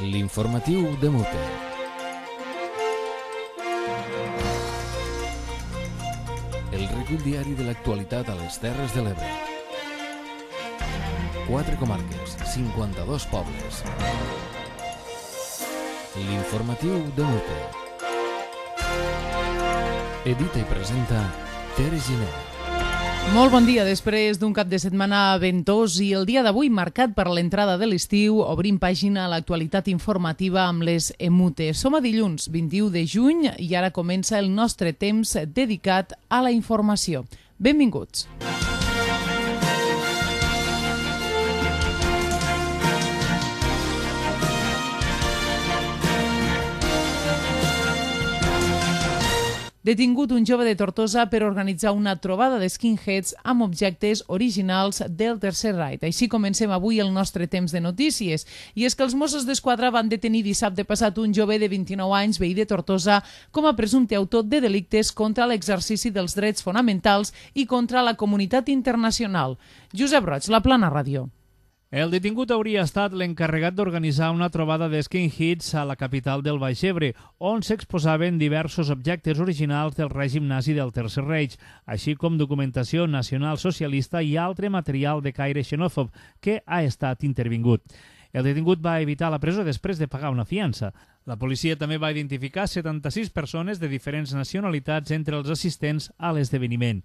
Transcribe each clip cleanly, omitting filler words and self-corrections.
L'informatiu de Mute. El recull diari de l'actualitat a les Terres de l'Ebre. 4 comarques, 52 pobles. L'informatiu de Mute. Edita i presenta Tere Giner. Molt bon dia. Després d'un cap de setmana ventós i el dia d'avui marcat per l'entrada de l'estiu, obrim pàgina a l'actualitat informativa amb les EMUTE. Som a dilluns 21 de juny i ara comença el nostre temps dedicat a la informació. Benvinguts. Detingut un jove de Tortosa per organitzar una trobada de skinheads amb objectes originals del Tercer Reich. Així comencem avui el nostre temps de notícies. I és que els Mossos d'Esquadra van detenir dissabte passat un jove de 29 anys, veí de Tortosa, com a presumpte autor de delictes contra l'exercici dels drets fonamentals i contra la comunitat internacional. Josep Roig, La Plana Ràdio. El detingut hauria estat l'encarregat d'organitzar una trobada de skinheads a la capital del Baix Ebre, on s'exposaven diversos objectes originals del règim nazi del Tercer Reich, així com documentació nacional socialista i altre material de caire xenòfob que ha estat intervingut. El detingut va evitar la presó després de pagar una fiança. La policia també va identificar 76 persones de diferents nacionalitats entre els assistents a l'esdeveniment.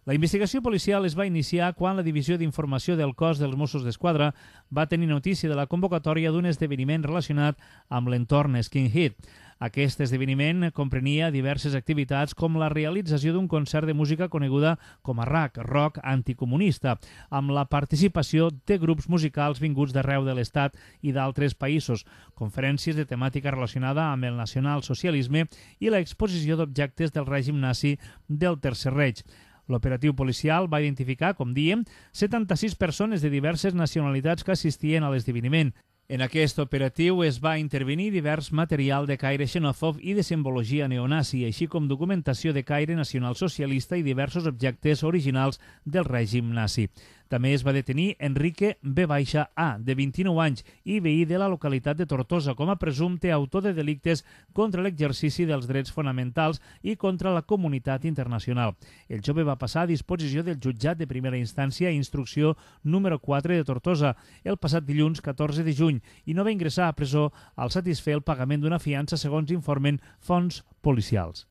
La investigació policial es va iniciar quan la Divisió d'Informació del Cos dels Mossos d'Esquadra va tenir notícia de la convocatòria d'un esdeveniment relacionat amb l'entorn skinhead. Aquest esdeveniment comprenia diverses activitats com la realització d'un concert de música coneguda com a rock anticomunista, amb la participació de grups musicals vinguts d'arreu de l'Estat i d'altres països, conferències de temàtica relacionada amb el nacionalsocialisme i l'exposició d'objectes del règim nazi del Tercer Reich. L'operatiu policial va identificar, com dèiem, 76 persones de diverses nacionalitats que assistien a l'esdeveniment. En aquest operatiu es va intervenir divers material de caire xenòfob i de simbologia neonazi, així com documentació de caire nacionalsocialista i diversos objectes originals del règim nazi. També es va detenir Enrique B.A, de 29 anys i veí de la localitat de Tortosa, com a presumpte autor de delictes contra l'exercici dels drets fonamentals i contra la comunitat internacional. El jove va passar a disposició del jutjat de primera instància i instrucció número 4 de Tortosa el passat dilluns 14 de juny i no va ingressar a presó al satisfer el pagament d'una fiança, segons informen fonts policials.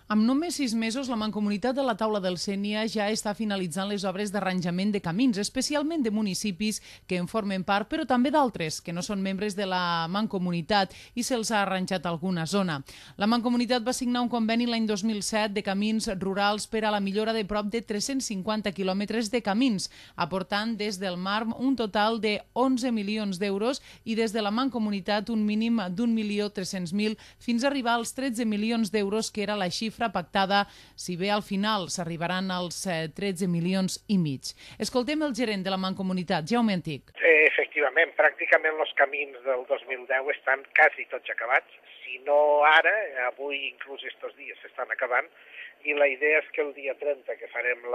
Amb només 6 mesos, la Mancomunitat de la Taula del Sénia ja està finalitzant les obres d'arranjament de camins, especialment de municipis que en formen part, però també d'altres que no són membres de la Mancomunitat i se'ls ha arranjat alguna zona. La Mancomunitat va signar un conveni l'any 2007 de camins rurals per a la millora de prop de 350 quilòmetres de camins, aportant des del MARM un total de 11 milions d'euros i des de la Mancomunitat un mínim d'1.300.000 fins a arribar als 13 milions d'euros, que era la xifra pactada, si bé al final s'arribaran als 13 milions i mig. Escoltem el gerent de la Mancomunitat, Jaume Antic. Efectivament, pràcticament els camins del 2010 estan quasi tots acabats. Si no ara, avui inclús estos dies s'estan acabant, i la idea és que el dia 30, que farem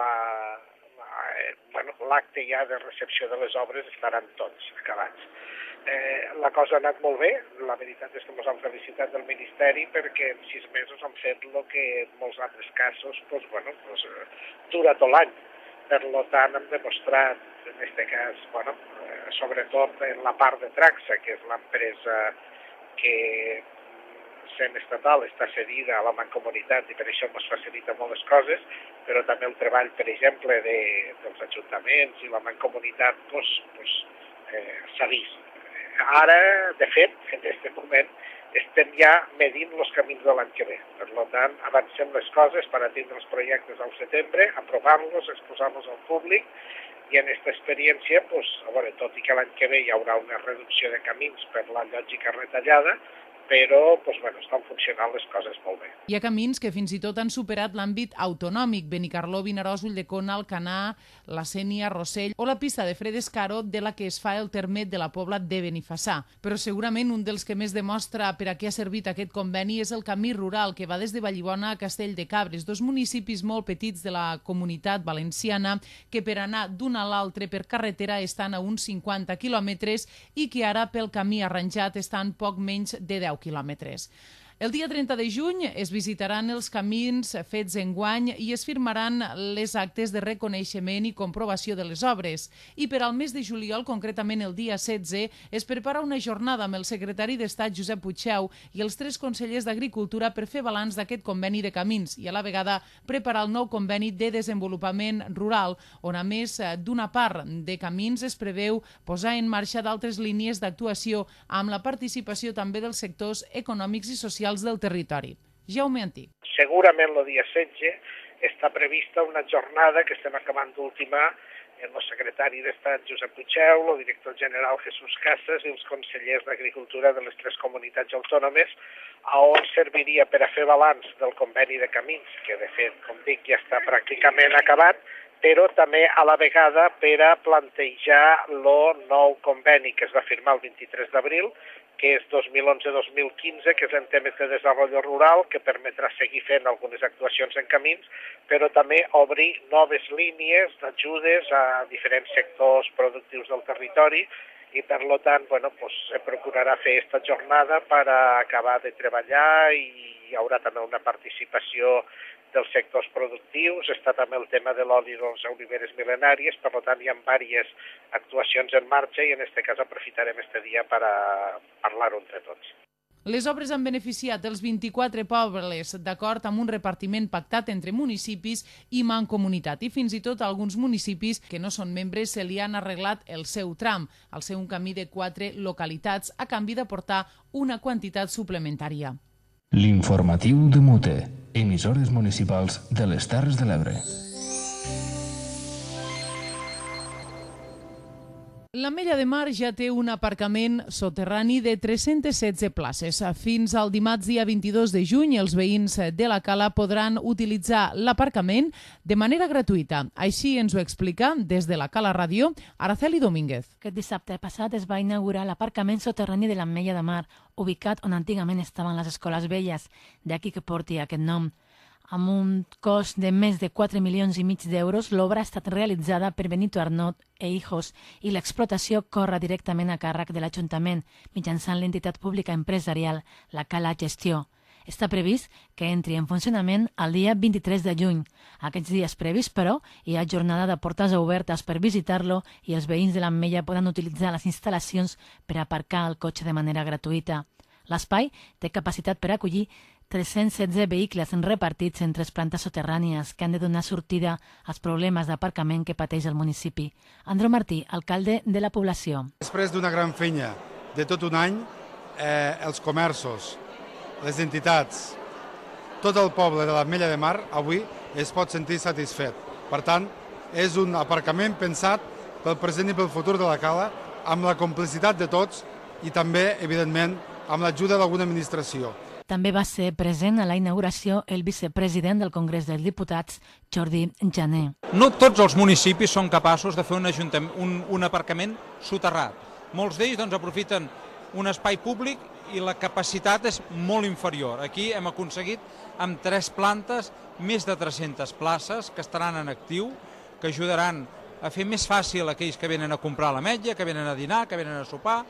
l'acte ja de recepció de les obres, estaran tots acabats. La cosa ha anat molt bé, la veritat és que ens han felicitat del Ministeri perquè en 6 mesos han fet el que en molts altres casos dura tot l'any. Per tant, hem demostrat, en aquest cas, sobretot en la part de Traxa, que és l'empresa que sent estatal està cedida a la Mancomunitat i per això ens facilita moltes coses, però també el treball, per exemple, dels ajuntaments i la Mancomunitat s'ha vist. Ara, de fet, en aquest moment, estem ja medint els camins de l'any que ve. Per tant, avancem les coses per atendre els projectes al setembre, aprovar-los, exposar-los al públic, i en aquesta experiència, tot i que l'any que ve hi haurà una reducció de camins per la lògica retallada, però estan funcionant les coses molt bé. Hi ha camins que fins i tot han superat l'àmbit autonòmic: Benicarló, Vinaròs, Ulldecona, Alcanar, la Sénia, Rossell o la pista de Fredescaro, de la que es fa el terme de la Pobla de Benifassà. Però segurament un dels que més demostra per a què ha servit aquest conveni és el camí rural que va des de Vallibona a Castell de Cabres, dos municipis molt petits de la Comunitat Valenciana que per anar d'un a l'altre per carretera estan a uns 50 quilòmetres i que ara pel camí arranjat estan poc menys de 10 quilòmetres. El dia 30 de juny es visitaran els camins fets enguany i es firmaran les actes de reconeixement i comprovació de les obres. I per al mes de juliol, concretament el dia 16, es prepara una jornada amb el secretari d'Estat Josep Puigdeu i els 3 consellers d'Agricultura per fer balanç d'aquest conveni de camins i a la vegada preparar el nou conveni de desenvolupament rural, on a més d'una part de camins es preveu posar en marxa d'altres línies d'actuació amb la participació també dels sectors econòmics i socials del territori. Jaume Antí. Segurament el dia 16 està prevista una jornada que estem acabant d'ultimar amb el secretari d'Estat Josep Puigdeu, el director general Jesús Casas i els consellers d'Agricultura de les 3 comunitats autònomes, on serviria per a fer balanç del conveni de camins, que de fet, com dic, ja està pràcticament acabat, però també a la vegada per a plantejar el nou conveni que es va firmar el 23 d'abril, que és 2011-2015, que és en temes de desenvolupament rural, que permetrà seguir fent algunes actuacions en camins, però també obrir noves línies d'ajudes a diferents sectors productius del territori i, per tant, se procurarà fer aquesta jornada per acabar de treballar i hi haurà també una participació dels sectors productius, està també el tema de l'oli de les oliveres mil·lenàries, per tant hi ha diverses actuacions en marxa i en aquest cas aprofitarem este dia per a parlar-ho entre tots. Les obres han beneficiat els 24 pobles d'acord amb un repartiment pactat entre municipis i mancomunitat i fins i tot alguns municipis que no són membres se li han arreglat el seu tram, al ser un camí de 4 localitats a canvi d'aportar una quantitat suplementària. L'informatiu de Mute, emissores municipals de les Terres de l'Ebre. L'Ametlla de Mar ja té un aparcament soterrani de 316 places. Fins al dimarts dia 22 de juny, els veïns de la Cala podran utilitzar l'aparcament de manera gratuïta. Així ens ho explica des de la Cala Ràdio Araceli Domínguez. Aquest dissabte passat es va inaugurar l'aparcament soterrani de l'Ametlla de Mar, ubicat on antigament estaven les escoles velles, d'aquí que porti aquest nom. Amb un cost de més de 4,5 milions d'euros, l'obra ha estat realitzada per Benito Arnot e Hijos i l'explotació corre directament a càrrec de l'Ajuntament mitjançant l'entitat pública empresarial, la Cala Gestió. Està previst que entri en funcionament el dia 23 de juny. Aquests dies previs, però, hi ha jornada de portes obertes per visitar-lo i els veïns de l'Ametlla poden utilitzar les instal·lacions per aparcar el cotxe de manera gratuïta. L'espai té capacitat per acollir 316 vehicles repartits en 3 plantes soterrànies que han de donar sortida als problemes d'aparcament que pateix el municipi. Andreu Martí, alcalde de la població. Després d'una gran feina de tot un any, els comerços, les entitats, tot el poble de l'Ametlla de Mar avui es pot sentir satisfet. Per tant, és un aparcament pensat pel present i pel futur de la Cala, amb la complicitat de tots i també, evidentment, amb l'ajuda d'alguna administració. També va ser present a la inauguració el vicepresident del Congrés dels Diputats, Jordi Jané. No tots els municipis són capaços de fer un aparcament soterrat. Molts d'ells aprofiten un espai públic i la capacitat és molt inferior. Aquí hem aconseguit amb 3 plantes més de 300 places que estaran en actiu, que ajudaran a fer més fàcil aquells que venen a comprar a l'Ametlla, que venen a dinar, que venen a sopar,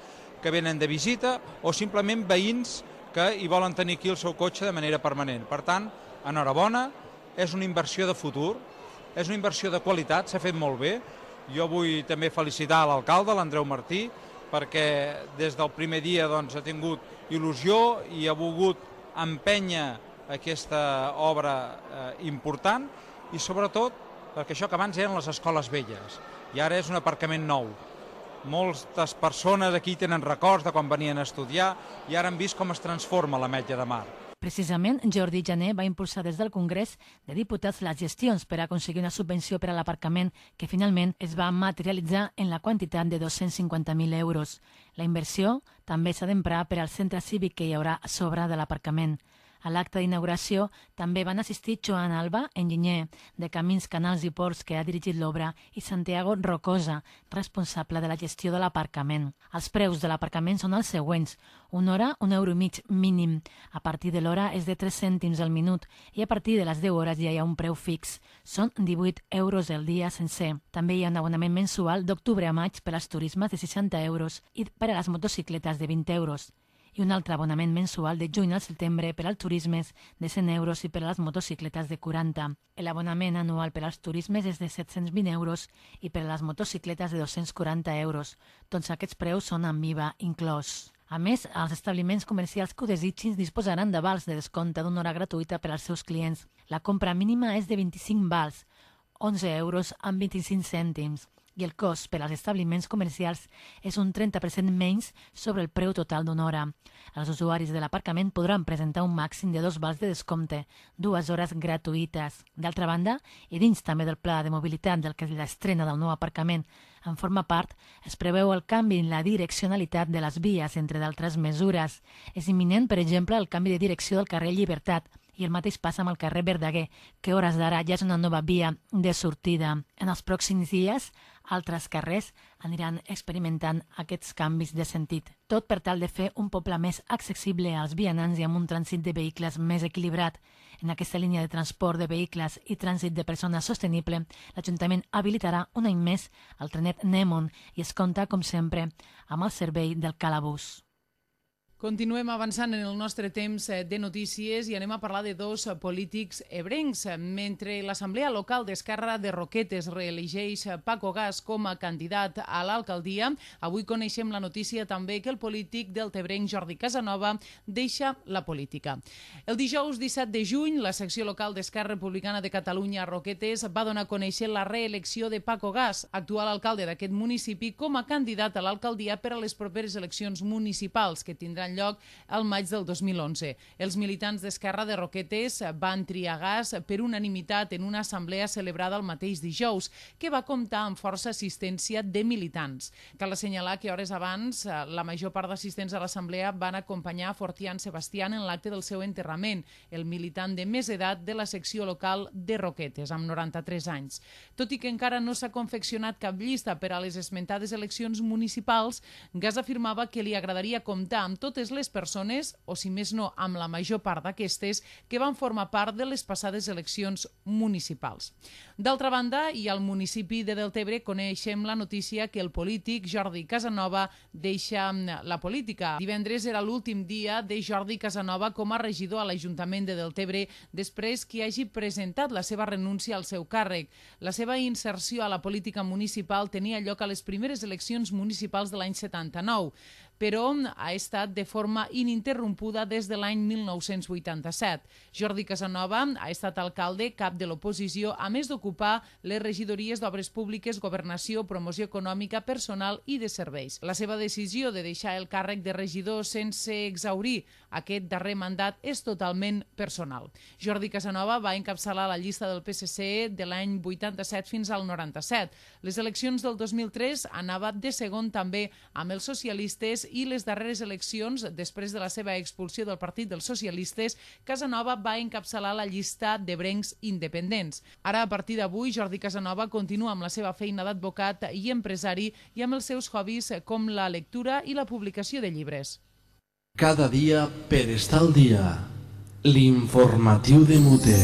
que venen de visita o simplement veïns que hi volen tenir aquí el seu cotxe de manera permanent. Per tant, enhorabona, és una inversió de futur, és una inversió de qualitat, s'ha fet molt bé. Jo vull també felicitar l'alcalde, l'Andreu Martí, perquè des del primer dia ha tingut il·lusió i ha volgut empènyer aquesta obra important i sobretot perquè això que abans eren les escoles velles i ara és un aparcament nou. Moltes persones aquí tenen records de quan venien a estudiar i ara han vist com es transforma l'Ametlla de Mar. Precisament, Jordi Jané va impulsar des del Congrés de Diputats les gestions per aconseguir una subvenció per a l'aparcament que finalment es va materialitzar en la quantitat de 250.000 euros. La inversió també s'ha d'emprar per al centre cívic que hi haurà a sobre de l'aparcament. A l'acte d'inauguració també van assistir Joan Alba, enginyer de Camins, Canals i Ports, que ha dirigit l'obra, i Santiago Rocosa, responsable de la gestió de l'aparcament. Els preus de l'aparcament són els següents. Una hora, €1,5 mínim. A partir de l'hora és de 3 cèntims al minut i a partir de les 10 hores ja hi ha un preu fix. Són 18 euros el dia sencer. També hi ha un abonament mensual d'octubre a maig per als turismes de 60 euros i per a les motocicletes de 20 euros. I un altre abonament mensual de juny al setembre per als turismes de 100 euros i per a les motocicletes de 40. L'abonament anual per als turismes és de 720 euros i per a les motocicletes de 240 euros. Tots aquests preus són amb IVA inclòs. A més, els establiments comercials que ho desitgin disposaran de vals de descompte d'una hora gratuïta per als seus clients. La compra mínima és de 25 vals, 11 euros amb 25 cèntims. I el cost per als establiments comercials és un 30% menys sobre el preu total d'una hora. Els usuaris de l'aparcament podran presentar un màxim de 2 vals de descompte, 2 hores gratuïtes. D'altra banda, i dins també del pla de mobilitat del que és l'estrena del nou aparcament en forma part, es preveu el canvi en la direccionalitat de les vies, entre d'altres mesures. És imminent, per exemple, el canvi de direcció del carrer Llibertat, i el mateix passa amb el carrer Verdaguer, que a hores d'ara ja és una nova via de sortida. En els pròxims dies, altres carrers aniran experimentant aquests canvis de sentit. Tot per tal de fer un poble més accessible als vianants i amb un trànsit de vehicles més equilibrat. En aquesta línia de transport de vehicles i trànsit de persones sostenible, l'Ajuntament habilitarà un any més el trenet Nemon i es compta, com sempre, amb el servei del Calabús. Continuem avançant en el nostre temps de notícies i anem a parlar de dos polítics ebrencs. Mentre l'Assemblea Local d'Esquerra de Roquetes reelegeix Paco Gas com a candidat a l'alcaldia, avui coneixem la notícia també que el polític deltebrenc Jordi Casanova deixa la política. El dijous 17 de juny, la secció local d'Esquerra Republicana de Catalunya a Roquetes va donar a conèixer la reelecció de Paco Gas, actual alcalde d'aquest municipi, com a candidat a l'alcaldia per a les properes eleccions municipals que tindran lloc al maig del 2011. Els militants d'Esquerra de Roquetes van triar Gas per unanimitat en una assemblea celebrada el mateix dijous, que va comptar amb força assistència de militants. Cal assenyalar que hores abans la major part d'assistents a l'assemblea van acompanyar Fortián Sebastián en l'acte del seu enterrament, el militant de més edat de la secció local de Roquetes, amb 93 anys. Tot i que encara no s'ha confeccionat cap llista per a les esmentades eleccions municipals, Gas afirmava que li agradaria comptar amb totes les persones, o si més no, amb la major part d'aquestes, que van formar part de les passades eleccions municipals. D'altra banda, i al municipi de Deltebre coneixem la notícia que el polític Jordi Casanova deixa la política. Divendres era l'últim dia de Jordi Casanova com a regidor a l'Ajuntament de Deltebre després que hagi presentat la seva renúncia al seu càrrec. La seva inserció a la política municipal tenia lloc a les primeres eleccions municipals de l'any 79, però ha estat de forma ininterrompuda des de l'any 1987. Jordi Casanova ha estat alcalde, cap de l'oposició, a més d'ocupar les regidories d'Obres Públiques, Governació, Promoció Econòmica, Personal i de Serveis. La seva decisió de deixar el càrrec de regidor sense exhaurir aquest darrer mandat és totalment personal. Jordi Casanova va encapçalar la llista del PSC de l'any 87 fins al 97. Les eleccions del 2003 anava de segon també amb els socialistes i les darreres eleccions, després de la seva expulsió del Partit dels Socialistes, Casanova va encapçalar la llista d'ebrencs independents. Ara, a partir d'avui, Jordi Casanova continua amb la seva feina d'advocat i empresari i amb els seus hobbies com la lectura i la publicació de llibres. Cada dia per estar al dia. L'informatiu de Mute.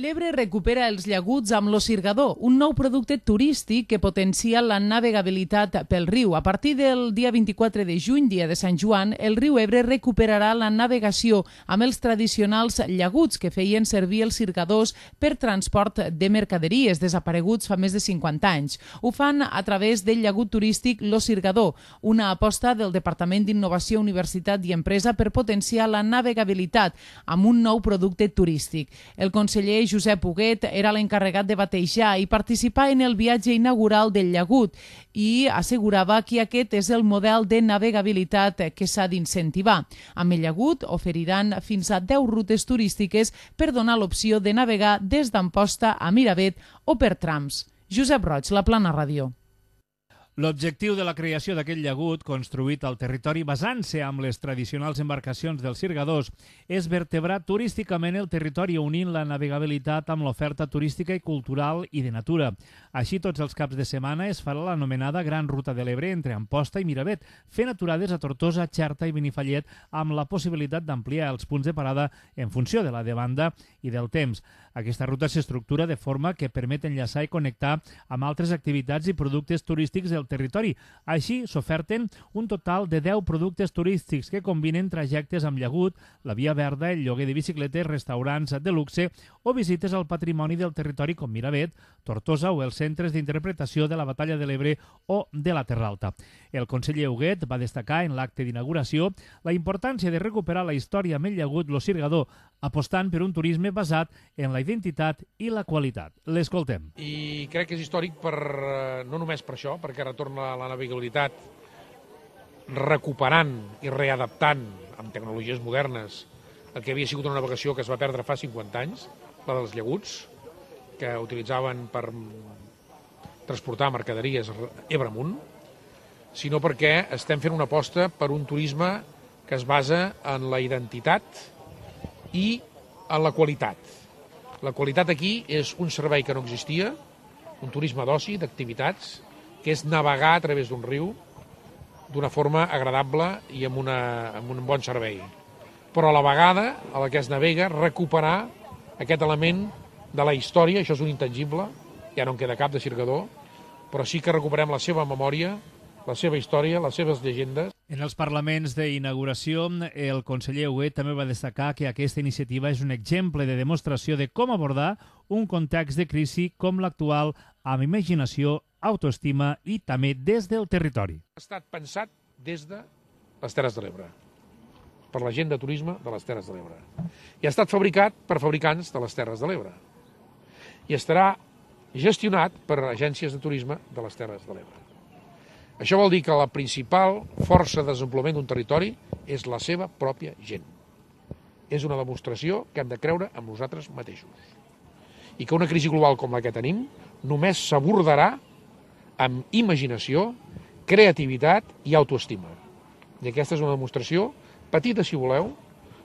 L'Ebre recupera els llaguts amb l'Osirgador, un nou producte turístic que potencia la navegabilitat pel riu. A partir del dia 24 de juny, dia de Sant Joan, el riu Ebre recuperarà la navegació amb els tradicionals llaguts que feien servir els sirgadors per transport de mercaderies, desapareguts fa més de 50 anys. Ho fan a través del llagut turístic l'Osirgador, una aposta del Departament d'Innovació, Universitat i Empresa per potenciar la navegabilitat amb un nou producte turístic. El conseller conseller Josep Huguet era l'encarregat de batejar i participar en el viatge inaugural del llagut i assegurava que aquest és el model de navegabilitat que s'ha d'incentivar. Amb el llagut oferiran fins a 10 rutes turístiques per donar l'opció de navegar des d'Amposta a Miravet o per trams. Josep Roig, La Plana Ràdio. L'objectiu de la creació d'aquest llagut, construït al territori basant-se amb les tradicionals embarcacions dels cirgadors, és vertebrar turísticament el territori unint la navegabilitat amb l'oferta turística i cultural i de natura. Així, tots els caps de setmana es farà l'anomenada Gran Ruta de l'Ebre entre Amposta i Miravet, fent aturades a Tortosa, Xerta i Benifallet amb la possibilitat d'ampliar els punts de parada en funció de la demanda i del temps. Aquesta ruta s'estructura de forma que permet enllaçar i connectar amb altres activitats i productes turístics del territori. Així, s'oferten un total de 10 productes turístics que combinen trajectes amb llagut, la via verda, el lloguer de bicicletes, restaurants de luxe o visites al patrimoni del territori com Miravet, Tortosa o els centres d'interpretació de la Batalla de l'Ebre o de la Terra Alta. El conseller Huguet va destacar en l'acte d'inauguració la importància de recuperar la història amb el llagut Lo Cirgador, apostant per un turisme basat en la identitat i la qualitat. L'escoltem. I crec que és històric no només per això, perquè retorna la navegabilitat recuperant i readaptant amb tecnologies modernes el que havia sigut una navegació que es va perdre fa 50 anys, la dels llaguts, que utilitzaven per transportar mercaderies Ebre amunt, sinó perquè estem fent una aposta per un turisme que es basa en la identitat i en la qualitat. La qualitat aquí és un servei que no existia, un turisme d'oci, d'activitats, que és navegar a través d'un riu d'una forma agradable i amb un bon servei. Però a la vegada, a la que es navega, recuperar aquest element de la història, això és un intangible, ja no en queda cap de cirgador, però sí que recuperem la seva memòria, la seva història, les seves llegendes. En els parlaments d'inauguració, el conseller Huguet també va destacar que aquesta iniciativa és un exemple de demostració de com abordar un context de crisi com l'actual amb imaginació, autoestima i també des del territori. Ha estat pensat des de les Terres de l'Ebre, per la gent de turisme de les Terres de l'Ebre. I ha estat fabricat per fabricants de les Terres de l'Ebre. I estarà gestionat per agències de turisme de les Terres de l'Ebre. Això vol dir que la principal força de desenvolupament d'un territori és la seva pròpia gent. És una demostració que hem de creure en nosaltres mateixos. I que una crisi global com la que tenim només s'abordarà amb imaginació, creativitat i autoestima. I aquesta és una demostració petita, si voleu,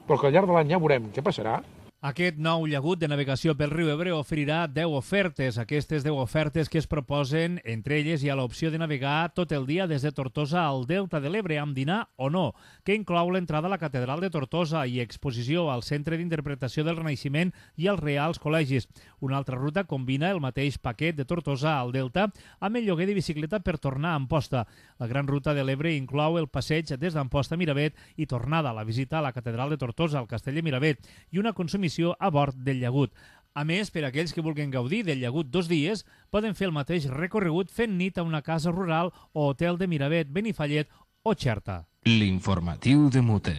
però que al llarg de l'any ja veurem què passarà. Aquest nou llagut de navegació pel riu Ebre oferirà 10 ofertes. Aquestes 10 ofertes que es proposen, entre elles hi ha l'opció de navegar tot el dia des de Tortosa al Delta de l'Ebre amb dinar o no, que inclou l'entrada a la Catedral de Tortosa i exposició al Centre d'Interpretació del Renaixement i als Reals Col·legis. Una altra ruta combina el mateix paquet de Tortosa al Delta amb el lloguer de bicicleta per tornar a Amposta. La Gran Ruta de l'Ebre inclou el passeig des d'Amposta a Miravet i tornada a la visita a la Catedral de Tortosa, al Castell de Miravet, i una consumició a bord del llagut. A més, per a aquells que vulguin gaudir del llagut 2 dies, poden fer el mateix recorregut fent nit a una casa rural o hotel de Miravet, Benifallet o Xerta. L'informatiu de Mute.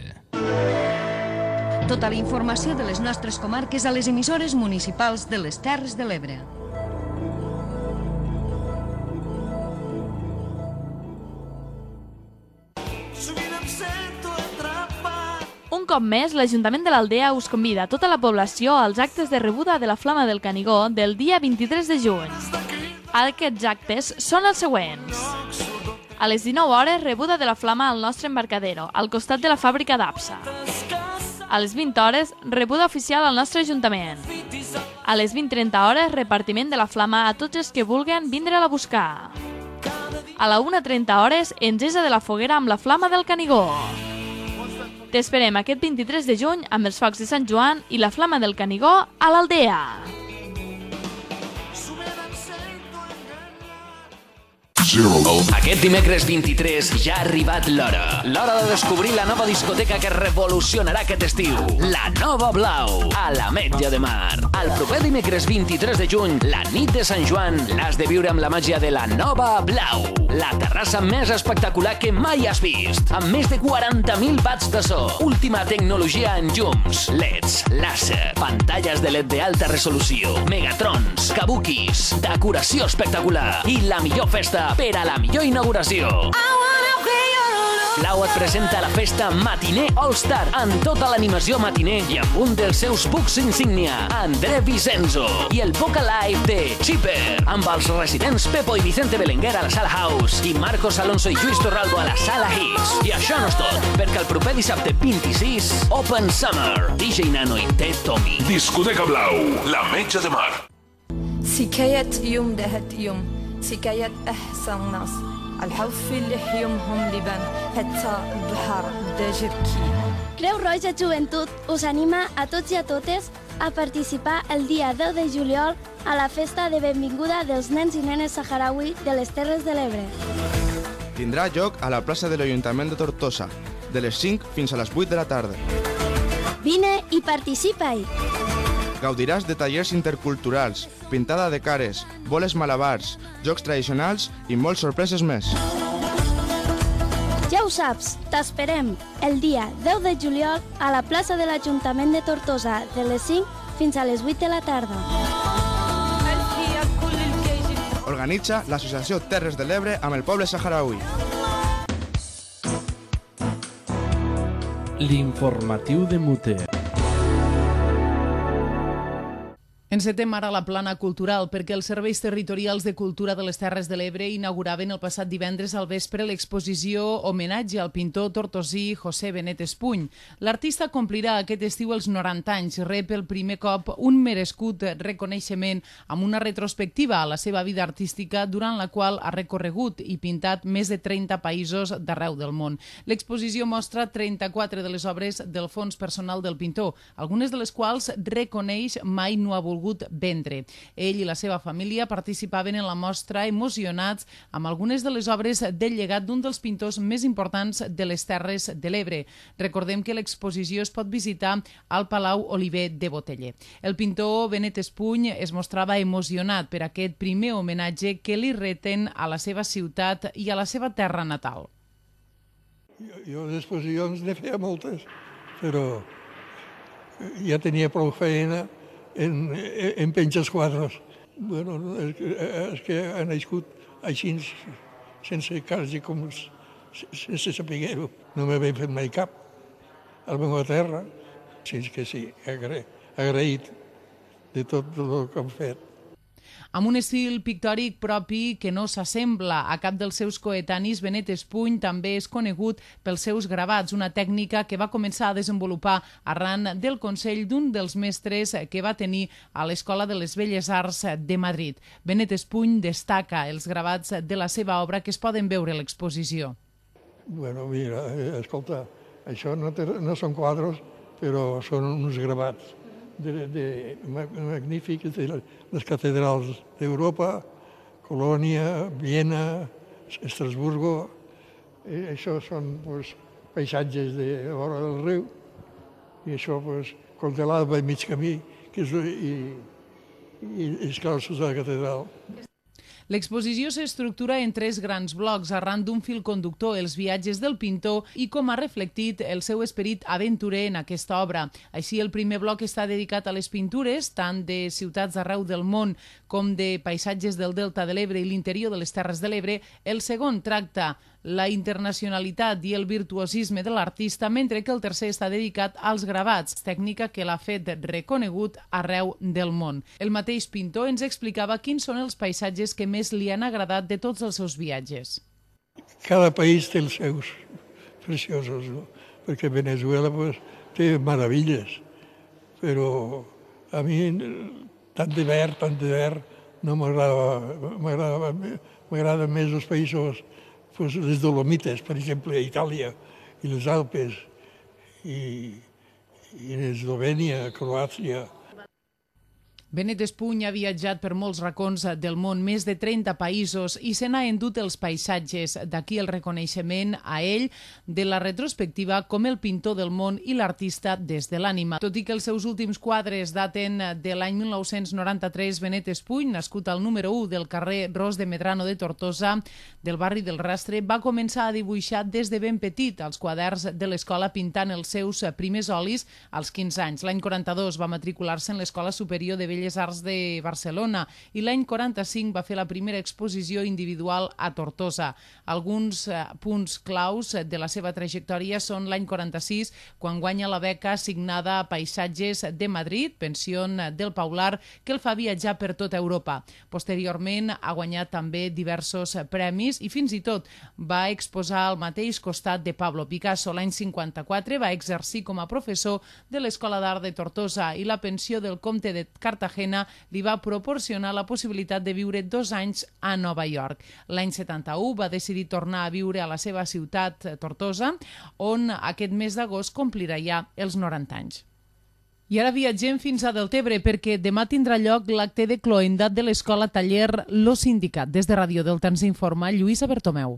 Tota la informació de les nostres comarques a les emissores municipals de les Terres de l'Ebre. Un cop més, l'Ajuntament de l'Aldea us convida a tota la població als actes de rebuda de la Flama del Canigó del dia 23 de juny. Aquests actes són els següents. A les 19 hores, rebuda de la Flama al nostre embarcadero, al costat de la fàbrica d'Apsa. A les 20 hores, rebuda oficial al nostre Ajuntament. A les 20:30 hores, repartiment de la Flama a tots els que vulguin vindre-la a buscar. A la 1:30 hores, engesa de la foguera amb la Flama del Canigó. T'esperem aquest 23 de juny amb els focs de Sant Joan i la Flama del Canigó a l'Aldea. Aquest dimecres 23 ja ha arribat l'hora. L'hora de descobrir la nova discoteca que revolucionarà aquest estiu. La Nova Blau, a l'Ametlla de Mar. El proper dimecres 23 de juny, la nit de Sant Joan, l'has de viure amb la màgia de la Nova Blau. La terrassa més espectacular que mai has vist. Amb més de 40.000 watts de so. Última tecnologia en llums, LEDs, làser, pantalles de LED d'alta resolució, megatrons, kabukis, decoració espectacular i la millor festa per a la millor inauguració. Blau et presenta la festa Matiner All-Star amb tota l'animació matiner i amb un dels seus bucs insígnia, André Vicenzo, i el Boca Live de Chipper, amb els residents Pepo i Vicente Belenguer a la Sala House i Marcos Alonso i Lluís Torralbo a la Sala Hits. I això no és tot, perquè el proper dissabte 26, Open Summer, DJ Nano i Ted Tommy. Discoteca Blau, l'Ametlla de Mar. سكاية يوم دهت يوم سكاية أحسن ناس الحوف اللي يومهم لبن حتى البحر دجركي. Creu Roja Joventut us anima a tots i a totes a participar el dia 10 de juliol a la festa de benvinguda dels nens i nenes saharaui de les Terres de l'Ebre. Tindrà lloc a la plaça de l'Ajuntament de Tortosa, de les 5 fins a les 8 de la tarda. Vine i participa-hi! Gaudiràs de tallers interculturals, pintada de cares, boles malabars, jocs tradicionals i moltes sorpreses més. Ja ho saps, t'esperem el dia 10 de juliol a la plaça de l'Ajuntament de Tortosa de les 5 fins a les 8 de la tarda. Organitza l'Associació Terres de l'Ebre amb el poble saharaui. L'informatiu de Mute. Encetem ara la plana cultural perquè els serveis territorials de cultura de les Terres de l'Ebre inauguraven el passat divendres al vespre l'exposició homenatge al pintor tortosí José Benet Espuny. L'artista complirà aquest estiu els 90 anys, rep el primer cop un merescut reconeixement amb una retrospectiva a la seva vida artística durant la qual ha recorregut i pintat més de 30 països d'arreu del món. L'exposició mostra 34 de les obres del fons personal del pintor, algunes de les quals reconeix mai no ha volgut vendre. Ell i la seva família participaven en la mostra emocionats amb algunes de les obres del llegat d'un dels pintors més importants de les Terres de l'Ebre. Recordem que l'exposició es pot visitar al Palau Oliver de Boteller. El pintor Benet Espuny es mostrava emocionat per aquest primer homenatge que li reten a la seva ciutat i a la seva terra natal. Jo d'exposicions ne feia moltes, però ja tenia prou feina en penjar els quadres. Bueno, és que ha nascut així, sense quasi com sense saber-ho. No m'havia fet mai cap a la meva terra. Sí, que sí, agraït de tot el que han fet. Amb un estil pictòric propi que no s'assembla a cap dels seus coetanis, Benet Espuny també és conegut pels seus gravats, una tècnica que va començar a desenvolupar arran del consell d'un dels mestres que va tenir a l'Escola de les Belles Arts de Madrid. Benet Espuny destaca els gravats de la seva obra que es poden veure a l'exposició. Bueno, mira, escolta, això no són quadres, però són uns gravats magnífics de les catedrals d'Europa, Colònia, Viena, Estrasburgo. Això són paisatges de la vora del riu i això contelava a mig camí i els claustres de la catedral. L'exposició s'estructura en 3 grans blocs arran d'un fil conductor, els viatges del pintor i com ha reflectit el seu esperit aventurer en aquesta obra. Així, el primer bloc està dedicat a les pintures, tant de ciutats arreu del món com de paisatges del Delta de l'Ebre i l'interior de les Terres de l'Ebre. El segon tracta la internacionalitat i el virtuosisme de l'artista, mentre que el tercer està dedicat als gravats, tècnica que l'ha fet reconegut arreu del món. El mateix pintor ens explicava quins són els paisatges que més li han agradat de tots els seus viatges. Cada país té els seus preciosos, no? Perquè Venezuela té meravilles, però a mi tant de verd no m'agrada. M'agraden més els països, les Dolomites, per exemple, a Itàlia, i les Alpes, i Eslovènia, Croàcia. Benet Espuny ha viatjat per molts racons del món, més de 30 països, i se n'ha endut els paisatges. D'aquí el reconeixement a ell de la retrospectiva com el pintor del món i l'artista des de l'ànima. Tot i que els seus últims quadres daten de l'any 1993, Benet Espuny, nascut al número 1 del carrer Ros de Medrano de Tortosa, del barri del Rastre, va començar a dibuixar des de ben petit als quaderns de l'escola, pintant els seus primers olis als 15 anys. L'any 42 va matricular-se en l'Escola Superior de Belles Arts de Barcelona i l'any 45 va fer la primera exposició individual a Tortosa. Alguns punts claus de la seva trajectòria són l'any 46, quan guanya la beca assignada a Paisatges de Madrid, Pensión del Paular, que el fa viatjar per tota Europa. Posteriorment ha guanyat també diversos premis i fins i tot va exposar al mateix costat de Pablo Picasso. L'any 54 va exercir com a professor de l'Escola d'Art de Tortosa i la pensió del comte de Cartagena li va proporcionar la possibilitat de viure 2 anys a Nova York. L'any 71 va decidir tornar a viure a la seva ciutat, Tortosa, on aquest mes d'agost complirà ja els 90 anys. I ara viatgem fins a Deltebre perquè demà tindrà lloc l'acte de cloendat de l'escola taller Lo Sindicat. Des de Ràdio Delta ens informa Lluïsa Bertomeu.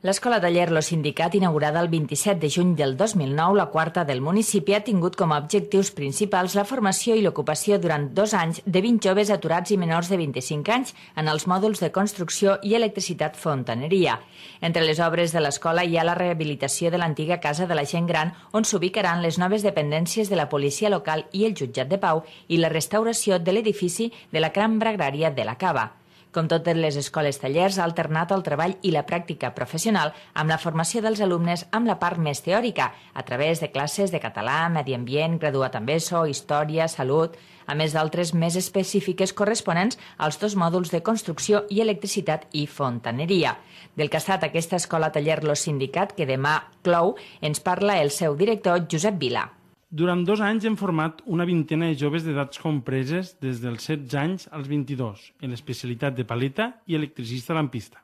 L'escola taller Lo Sindicat, inaugurada el 27 de juny del 2009, la quarta del municipi, ha tingut com a objectius principals la formació i l'ocupació durant 2 anys de 20 joves aturats i menors de 25 anys en els mòduls de construcció i electricitat fontaneria. Entre les obres de l'escola hi ha la rehabilitació de l'antiga Casa de la Gent Gran, on s'ubicaran les noves dependències de la policia local i el jutjat de pau, i la restauració de l'edifici de la cambra agrària de la Cava. Com totes les escoles tallers, ha alternat el treball i la pràctica professional amb la formació dels alumnes amb la part més teòrica, a través de classes de català, medi ambient, graduat en ESO, història, salut, a més d'altres més específiques corresponents als 2 mòduls de construcció i electricitat i fontaneria. Del que ha estat aquesta escola taller Lo Sindicat, que demà clou, ens parla el seu director, Josep Vila. Durant 2 anys hem format una vintena de joves d'edats compreses des dels 16 anys als 22, en l'especialitat de paleta i electricista lampista.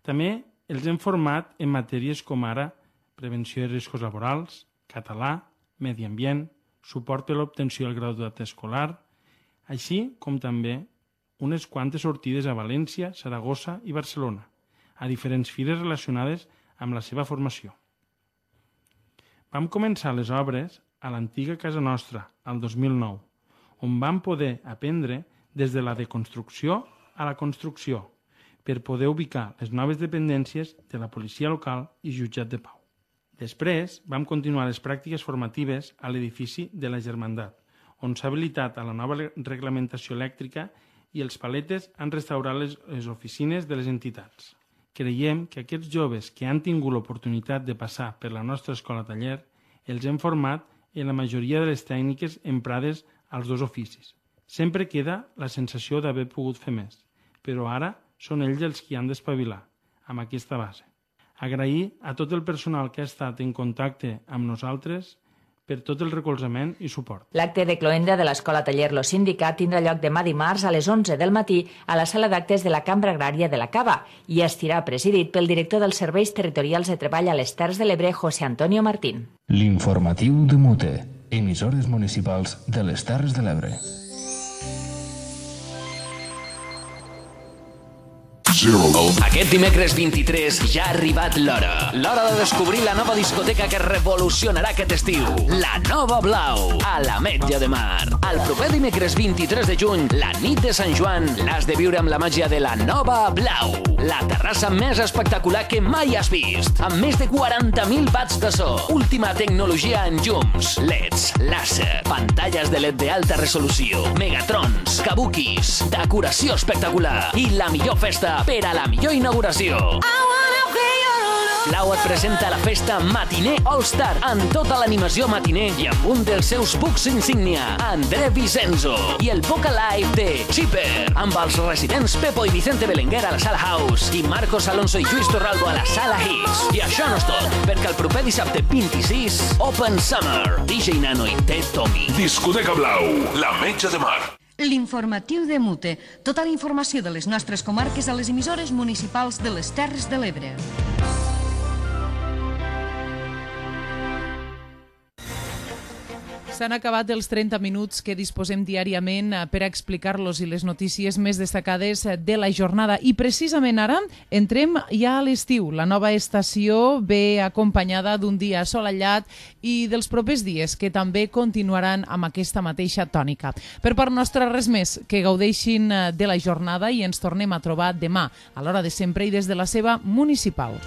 També els hem format en matèries com ara prevenció de riscos laborals, català, medi ambient, suport per l'obtenció del graduat escolar, així com també unes quantes sortides a València, Saragossa i Barcelona, a diferents fires relacionades amb la seva formació. Vam començar les obres a l'antiga casa nostra, al 2009, on vam poder aprendre des de la deconstrucció a la construcció, per poder ubicar les noves dependències de la policia local i jutjat de pau. Després vam continuar les pràctiques formatives a l'edifici de la Germandat, on s'ha habilitat a la nova reglamentació elèctrica i els paletes han restaurat les oficines de les entitats. Creiem que aquests joves que han tingut l'oportunitat de passar per la nostra escola taller els hem format en la majoria de les tècniques emprades als 2 oficis. Sempre queda la sensació d'haver pogut fer més, però ara són ells els qui han d'espavilar amb aquesta base. Agrair a tot el personal que ha estat en contacte amb nosaltres per tot el recolzament i suport. L'acte de cloenda de l'Escola Taller Lo Sindicat tindrà lloc demà dimarts a les 11 del matí a la sala d'actes de la Cambra Agrària de la Cava i estirà presidit pel director dels Serveis Territorials de Treball a les Terres de l'Ebre, José Antonio Martín. L'informatiu de Mute, emissores municipals de les Terres de l'Ebre. Aquest dimecres 23 ja ha arribat l'hora. L'hora de descobrir la nova discoteca que revolucionarà aquest estiu. La Nova Blau, a l'Ametlla de Mar. El proper dimecres 23 de juny, la nit de Sant Joan, l'has de viure amb la màgia de la Nova Blau. La terrassa més espectacular que mai has vist. Amb més de 40.000 watts de so. Última tecnologia en llums, LEDs, làser, pantalles de LED d'alta resolució, megatrons, kabukis, decoració espectacular i la millor festa per a la millor inauguració. Blau et presenta la festa Matiner All-Star amb tota l'animació matiner i amb un dels seus bucs insígnia, André Vicenzo, i el Boca Live de Chipper, amb els residents Pepo i Vicente Belenguer a la Sala House i Marcos Alonso i Lluís Torralbo a la Sala Hits. I això no és tot, perquè el proper dissabte 26, Open Summer, DJ Nano i Ted Tommy. Discoteca Blau, l'Ametlla de Mar. L'informatiu de Mute. Tota la informació de les nostres comarques a les emissores municipals de les Terres de l'Ebre. S'han acabat els 30 minuts que disposem diàriament per a explicar-los i les notícies més destacades de la jornada. I precisament ara entrem ja a l'estiu. La nova estació ve acompanyada d'un dia assolellat i dels propers dies que també continuaran amb aquesta mateixa tònica. Per part nostra, res més, que gaudeixin de la jornada i ens tornem a trobar demà, a l'hora de sempre i des de la seva municipal.